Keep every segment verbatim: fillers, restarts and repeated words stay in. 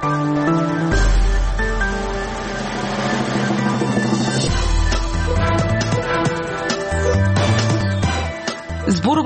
Зборува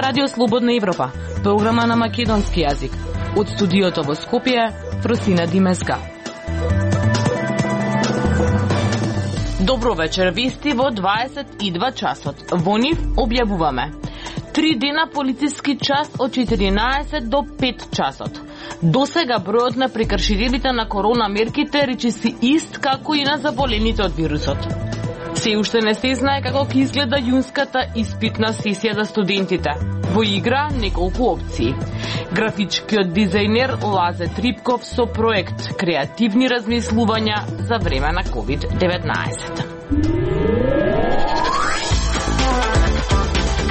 Радио Слободна Европа, програма на македонски јазик. Од студиото во Скопје, Фросина Димеска. Добро вечер, вести во дваесет и два часот. Во нив објавуваме: Три дена полициски час од четиринаесет до пет часот. Досега бројот на прекршителите на корона мерките речи си ист како и на заболените од вирусот. Се уште не се знае како ќе изгледа јунската испитна сесија за студентите. Во игра неколку опции. Графичкиот дизајнер Лазе Трипков со проект Креативни размислувања за време на ковид деветнаесет.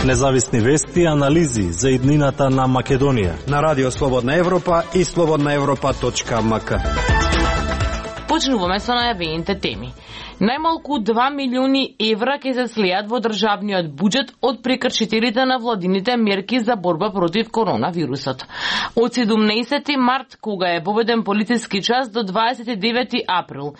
Независни вести и анализи за иднината на Македонија на Радио Слободна Европа и слободна европа точка ем ка. Почнуваме со најавените теми. Најмалку два милиони евра ќе се слеат во државниот буџет од прекршителите на владините мерки за борба против коронавирусот. Од седумнаесети март, кога е воведен полициски час, до дваесет и девети април,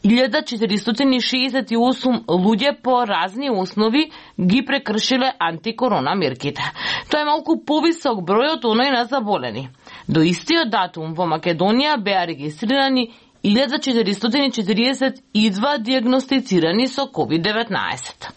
илјада четиристотини шеесет и осум луѓе по разни основи ги прекршиле антикорона мерките. Тоа е малку повисок број од оној на заболени. До истиот датум во Македонија беа регистрирани илјада четиристотини четириесет и два диагностицирани со ковид деветнаесет.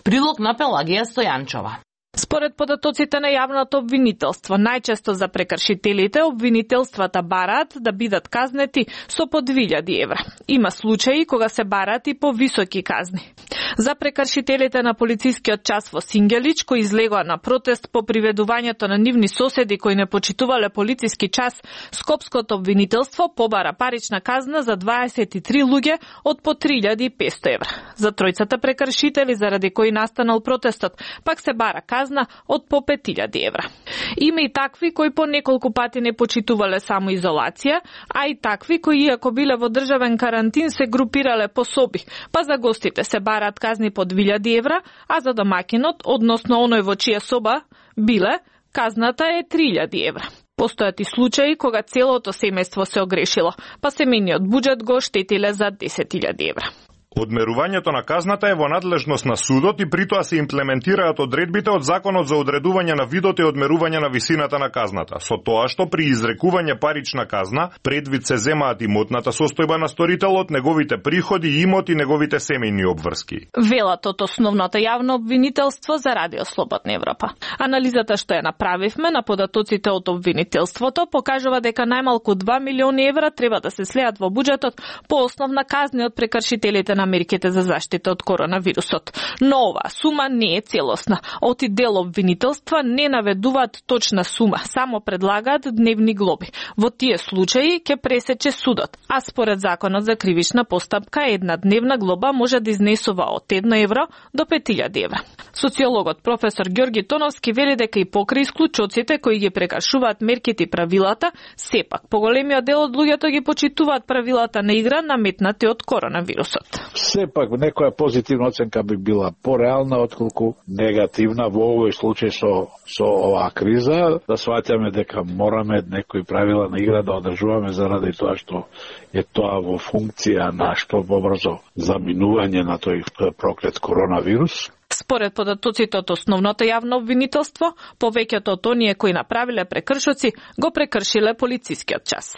Прилог на Пелагија Стојанчова. Според податоците на јавното обвинителство, најчесто за прекршителите, обвинителствата бараат да бидат казнети со по две илјади евра. Има случаи кога се бараат и по високи казни. За прекршителите на полицискиот час во Сингелич, кои излегоа на протест по приведувањето на нивни соседи кои не почитувале полициски час, Скопското обвинителство побара парична казна за дваесет и три луѓе од по три илјади и петсто евра. За тројцата прекршители заради кои настанал протестот, пак се бара казна од по пет илјади евра. Има и такви кои по неколку пати не почитувале само изолација, а и такви кои, иако биле во државен карантин, се групирале по соби, па за гостите се бараат казни по две илјади евра, а за домакинот, односно оној во чија соба биле, казната е три илјади евра. Постојат и случаи кога целото семејство се огрешило, па семејниот буџет го штетиле за десет илјади евра. Одмерувањето на казната е во надлежност на судот и притоа се имплементираат одредбите од Законот за одредување на видот и одмерување на висината на казната, со тоа што при изрекување парична казна предвид се земаат имотната состојба на сторителот, неговите приходи, имот и неговите семејни обврски. Велат од основното јавно обвинителство за Радио Слободна Европа. Анализата што ја направивме на податоците од обвинителството покажува дека најмалку два милиони евра треба да се слеат во буџетот по основна казни од прекршителите на мерките за заштита од коронавирусот. Но оваа сума не е целосна. Оти дел обвинителства не наведуваат точна сума, само предлагаат дневни глоби. Во тие случаи ќе пресече судот, а според Законот за кривична постапка една дневна глоба може да изнесува од едно евро до пет илјади евра. Социологот професор Ѓорги Тоновски вели дека и покрај исклучоците кои ги прекршуваат мерките и правилата, сепак поголемиот дел од луѓето ги почитуваат правилата на игра наметнати од коронавирусот. Сепак некоја позитивна оценка би била пореална отколку негативна во овој случај со со оваа криза, да сваќаме дека мораме некои правила на игра да одржуваме заради тоа што е тоа во функција на што побрзо заминување на тој проклет коронавирус. Според податоците од основното јавно обвинителство, повеќето од оние кои направиле прекршоци го прекршиле полицискиот час.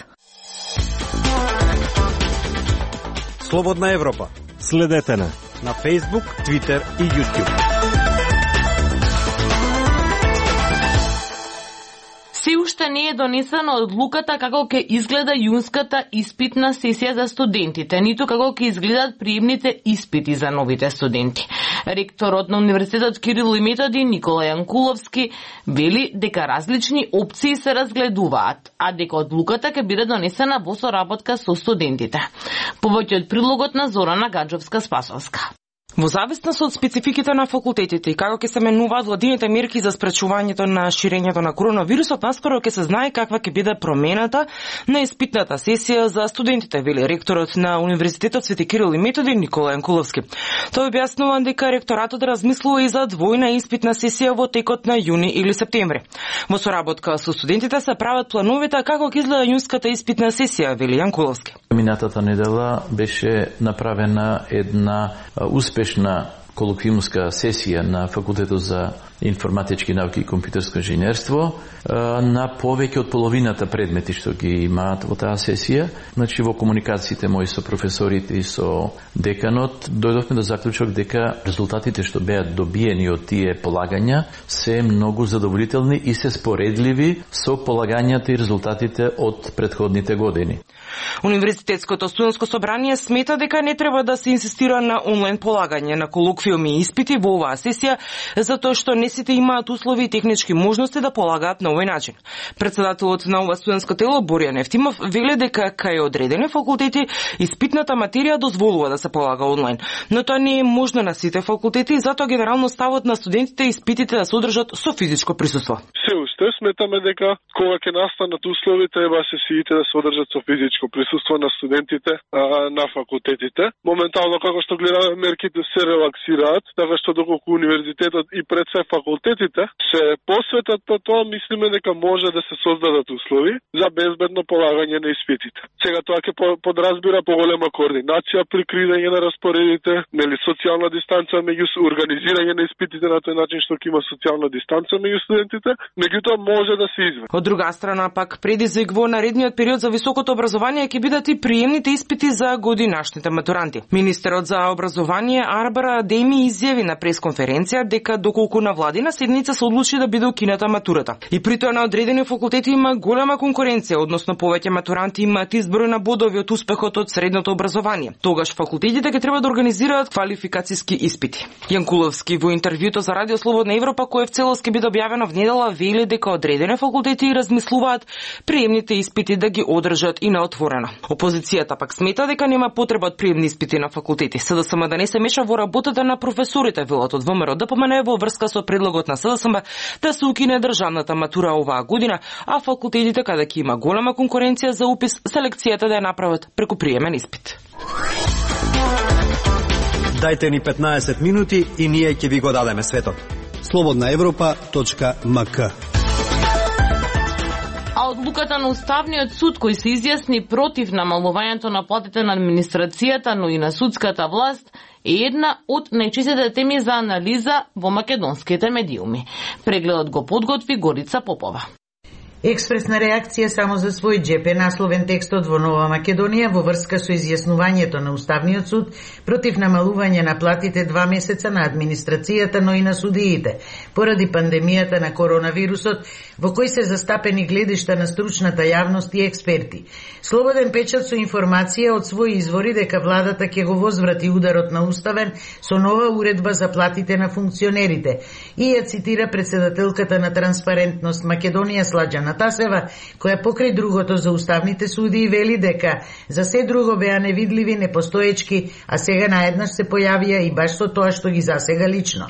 Слободна Европа. Следете на на Facebook, Twitter и YouTube. Се уште не е донесена одлуката како ќе изгледа јунската испитна сесија за студентите, ниту како ќе изгледат приемните испити за новите студенти. Ректорот на Универзитетот Кирил и Методи Никола Јанкуловски вели дека различни опции се разгледуваат, а дека одлуката ќе биде донесена во соработка со студентите. Повеќе од прилогот на Зорана Гаджовска-Спасовска. Во зависност од спецификите на факултетите и како ќе се менуваат владините мерки за спречувањето на ширењето на коронавирусот, наскоро ќе се знае каква ќе биде промената на испитната сесија за студентите, вели ректорот на Универзитетот Свети Кирил и Методи Никола Јанкуловски. Тој објаснува дека ректоратот размислува и за двојна испитна сесија во текот на јуни или септември. Во соработка со студентите се прават плановите како ќе изгледа јунската испитна сесија, вели Јанкуловски. Минатата недела беше направена една успешна колоквиумска сесија на Факултетот за информатички науки и компјутерско инженерство на повеќе од половината предмети што ги имаат во таа сесија. Значи во комуникациите мои со професорите и со деканот дојдовме до заклучок дека резултатите што беа добиени од тие полагања се многу задоволителни и се споредливи со полагањата и резултатите од претходните години. Универзитетското студентско собрание смета дека не треба да се инсистира на онлайн полагање на колоквиуми и испити во оваа сесија, затоа што не сите имаат услови и технички можности да полагаат на овој начин. Председателот на ова студентско тело Боријан Ефтимов вели дека кај одредени факултети испитната материја дозволува да се полага онлайн, но тоа не е можно на сите факултети и затоа генерално ставот на студентите испитите да се одржат со физичко присуство. Се уште сметаме дека кога ќе настанат услови треба сесиите да се одржат со физичко присуство на студентите а, на факултетите. Моментално како што гледаме мерките се релаксираат, така што доколку универзитетот и пред се факултетите се посветат по тоа, мислиме дека може да се создадат услови за безбедно полагање на испитите. Сега тоа ќе подразбира поголема координација при креирање на распоредите, нели социјална дистанца меѓу организирање на испитите на тој начин што ќе има социјална дистанца меѓу студентите, меѓутоа може да се изведе. Од друга страна пак предизвик во наредниот период за високото образование ќе бидат и приемните испити за годинашните матуранти. Министерот за образование Арбара Деми изјави на пресконференција дека доколку на владина седница се одлучи да биде укината матурата. И при тоа на одредени факултети има голема конкуренција, односно повеќе матуранти имаат изброј на бодови од успехот од средното образование. Тогаш факултетите ќе треба да организираат квалификациски испити. Јанкуловски во интервјуто за Радио Слободна Европа, кое в целост ќе биде објавено внедела, вели дека одредени факултети размислуваат приемните испити да ги одржат и на отворено. Опозицијата пак смета дека нема потреба од приемни испити на факултети. СДСМ да не се меша во работата на професорите, велат од ВМРО да помене во врска со предлогот на СДСМ да се укине државната матура оваа година, а факултетите каде ќе има голема конкуренција за упис, селекцијата да ја направат преку приемен испит. Дајте ни петнаесет минути и ние ќе ви го дадеме светот. слободна европа точка ем ка. А одлуката на Уставниот суд кој се изјасни против намалувањето на платите на администрацијата, но и на судската власт, е една од најчистите теми за анализа во македонските медиуми. Прегледот го подготви Горица Попова. Експресна реакција само за свој джеп е насловен текстот во Нова Македонија во врска со изјаснувањето на Уставниот суд против намалување на платите два месеца на администрацијата, но и на судиите, поради пандемијата на коронавирусот, во кој се застапени гледишта на стручната јавност и експерти. Слободен печат со информација од своји извори дека владата ќе го возврати ударот на Уставен со нова уредба за платите на функционерите и ја цитира председателката на Транспарентност Македонија Сладжана Тасева, која покрај другото за уставните суди вели дека за се друго беа невидливи, непостоечки, а сега наеднаш се појавија и баш со тоа што ги засега лично.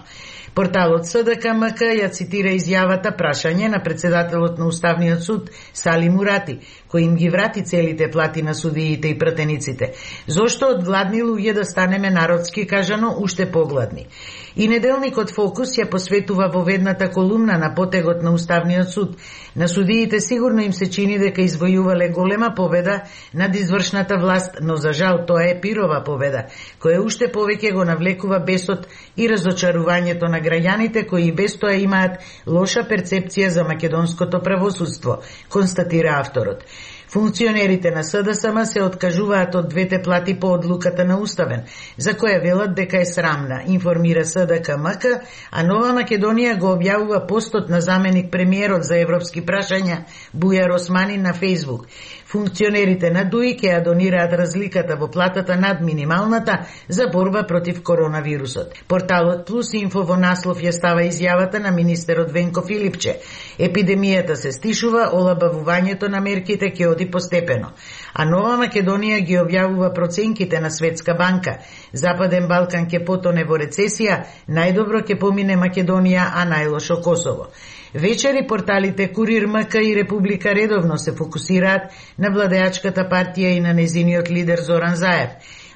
Порталот СДКМК ја цитира изјавата прашање на председателот на Уставниот суд Сали Мурати, кој им ги врати целите плати на судиите и пратениците. Зошто од гладни луѓе да станеме народски кажано уште погладни? И неделникот Фокус ја посветува во ведната колумна на потегот на Уставниот суд. На судиите сигурно им се чини дека извојувале голема победа над извршната власт, но за жал тоа е пирова победа, која уште повеќе го навлекува бесот и разочарувањето на граѓаните кои без тоа имаат лоша перцепција за македонското правосудство, констатира авторот. Функционерите на СДСМ се откажуваат од двете плати по одлуката на Уставен, за која велат дека е срамна, информира СДКМК, а Нова Македонија го објавува постот на заменик премиерот за европски прашања Бујар Османи на Фејсбук. Функционерите на ДУИ ќе ја донираат разликата во платата над минималната за борба против коронавирусот. Порталот Плюс Инфо во наслов ја става изјавата на министерот Венко Филипче. Епидемијата се стишува, олабавувањето на мерките ќе работи постепено. А Нова Македонија ги објавува проценките на Светска банка. Западен Балкан ќе потоне во рецесија, најдобро ќе помине Македонија, а најлошо Косово. Вечери порталите Курир МК и Република редовно се фокусираат на владеачката партија и на незиниот лидер Зоран Заев.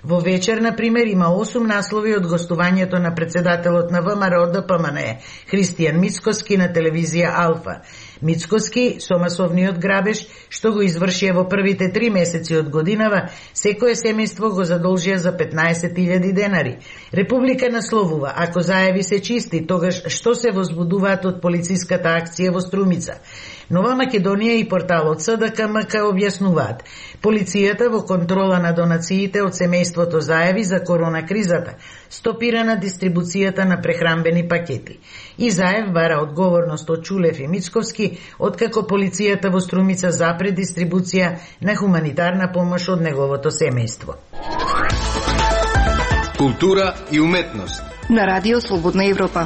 Во вечер, например, има осум наслови од гостувањето на председателот на ВМРО Д П М Н Е, Христијан Мицкоски на телевизија Алфа. Мицкоски, со масовниот грабеж, што го извршија во првите три месеци од годинава, секое семејство го задолжија за петнаесет илјади денари. Република насловува, ако Заеви се чисти, тогаш што се возбудуваат од полициската акција во Струмица? Нова Македонија и порталот С Д К М К објаснуваат. Полицијата во контрола на донациите од семејството Заеви за корона кризата стопира на дистрибуцијата на прехранбени пакети. И Заев бара одговорност од Чулев и Мицковски, откако полицијата во Струмица запре дистрибуција на хуманитарна помош од неговото семејство. Култура и уметност на Радио Слободна Европа.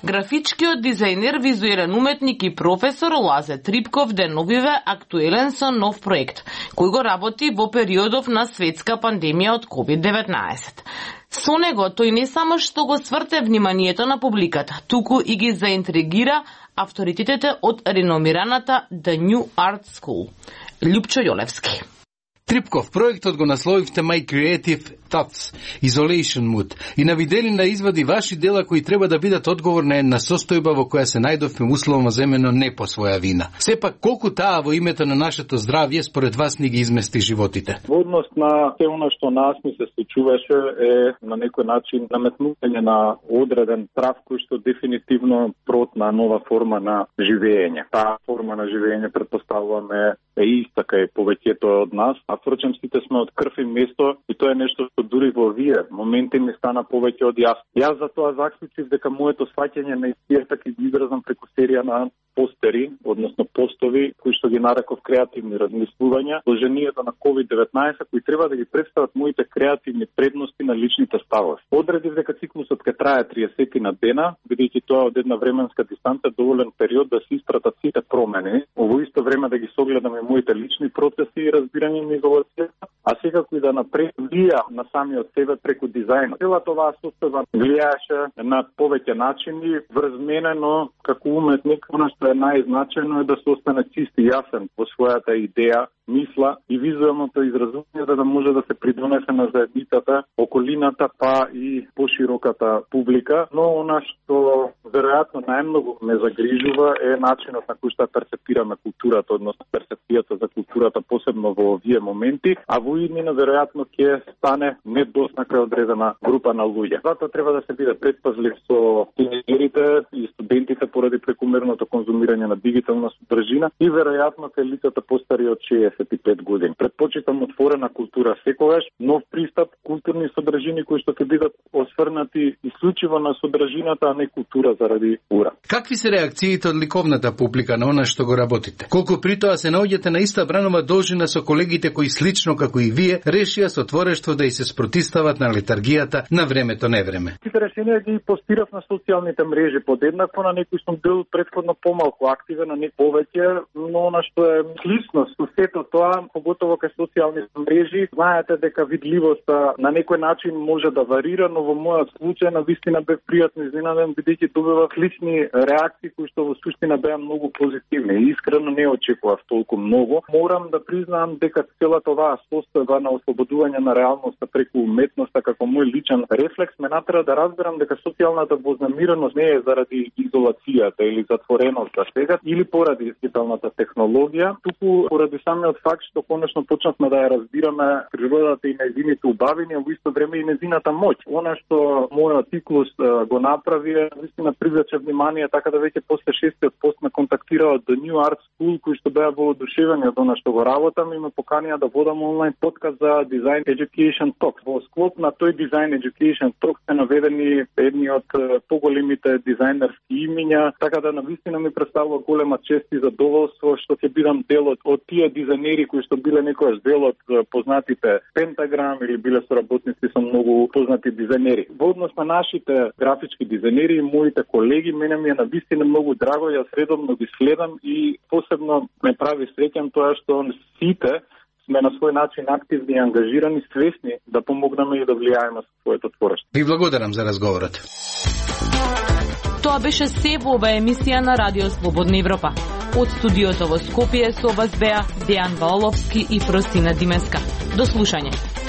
Графичкиот дизајнер, визуелен уметник и професор Лазе Трипков деновиве актуелен со нов проект, кој го работи во периодов на светска пандемија од ковид деветнаесет. Со него тој не само што го сврте вниманието на публиката, туку и ги заинтригира авторитетите од реномираната The New Art School. Љупчо Јолевски. Трипков проектот го насловивте My Creative Thoughts, Isolation Mood, и навидели на извади ваши дела кои треба да бидат одговор на една состојба во која се најдовме условно земено не по своја вина. Сепак, колку таа во името на нашето здравје според вас ни ги измести животите? Во однос на се она што нас ми се случуваше е на некој начин наметнување на одреден страв кој што дефинитивно прот на нова форма на живење. Таа форма на живење предпоставуваме е иста кај повеќето од нас, а впрочем сите сме од крв и место и тоа е нешто што дури во овие моменти ми стана повеќе од јасно. Јас за тоа заклучив дека моето сваќање на истијата ќе ги изразам преку серија на постери, односно постови, кои што ги нареков креативни размислувања, сложението на ковид деветнаесет, кои треба да ги представат моите креативни предности на личните ставови. Одредив дека циклусот ќе трае триесет на дена, бидејќи тоа од една временска дистанца доволен период да се истратат сите промени, во исто време да ги согледаме моите лични процеси и разбирање ми во света, а секако и да напредија на самиот себе преку дизајнот. Целата оваа состојба влијаеше на повеќе начини врз мене, но како уметник, она што е најзначајно е да се остане чист и јасен во својата идеја, мисла и визуелното изразување за да може да се придонесе на заедницата, околината, па и пошироката публика. Но она што веројатно најмногу ме загрижува е начинот на кој што перцепираме културата, односно перцепцијата за културата, посебно во овие моменти, а во иднина веројатно ќе стане недосна кај одредена група на луѓе. Затоа треба да се биде предпазлив со тинејерите и студентите поради прекумерното конзумирање на дигитална содржина и веројатно кај лицата постари од шеесет и пет години. Предпочитам отворена култура секогаш, нов пристап, културни содржини кои што ќе бидат осврнати исклучиво на содржината, а не култура заради ура. Какви се реакциите од ликовната публика на она што го работите? Колку при тоа се наоѓате на иста бранова должина со колегите кои слично како и вие решија со творештво да и се спротистават на летаргијата на времето невреме? Тите решенија ги постирав на социјалните мрежи подеднакво, на некои сум бил претходно помалку активен, на некои повеќе, но она што е слично со сето тоа, поготово кај социјалните мрежи, знаете дека видливоста на некој начин може да варира, но во мојот случај на вистина бев пријатно изненаден бидејќи добивав лични реакции кои што во суштина беа многу позитивни и искрено не очекував толку многу. Морам да признаам дека целата оваа состојба на ослободување на реалноста преку уметноста како мој личен рефлекс ме натера да разберам дека социјалната вознемиреност не е заради изолацијата или затвореноста сега или поради дигиталната технологија, туку поради самиот факт што конечно почнавме да ја разбираме природата и нејзините убавини, а во исто време и нејзината моќ. Она што мојот циклус го направи е вистина привлече внимание, така да веќе после шестиот пост ме контактираа од The New Art School, кои што беа воодушевени од она што го работам и ме поканија да водам онлайн подкаст за Design Education Talk. Во склоп на тој Design Education Talk се наведени едни од поголемите дизајнерски имиња, така да навистина ми представува голема чест и задоволство што ќе бидам дел од, од тие дизајнери кои што биле некојаш дел од познатите Pentagram или биле соработници со многу познати дизајнери. Во однос на нашите графички дизајнери и моите колеги, мене ми е навистина многу драго, јас редовно ги следам и посебно ме прави среќен тоа што сите сме на свој начин активни и ангажирани, свесни да помогнеме и да влијаеме со своето творештво. Ви благодарам за разговорот. Тоа беше се во оваа емисија на Радио Слободна Европа. Од студиото во Скопје со вас беа Дејан Ваоловски и Фросина Димеска. До слушање.